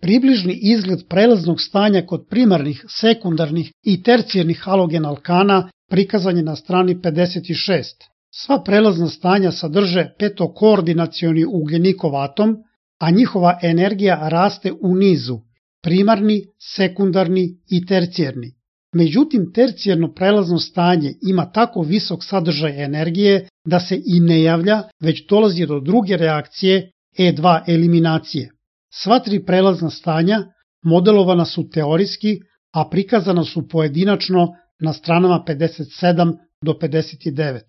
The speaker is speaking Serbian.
Približni izgled prelaznog stanja kod primarnih, sekundarnih i tercijarnih halogen alkana prikazan je na strani 56. Sva prelazna stanja sadrže petokoordinacioni ugljenikov atom, a njihova energija raste u nizu, primarni, sekundarni i tercijarni. Međutim, tercijarno prelazno stanje ima tako visok sadržaj energije da se i ne javlja, već dolazi do druge reakcije E2 eliminacije. Sva tri prelazna stanja modelovana su teorijski, a prikazana su pojedinačno na stranama 57 do 59.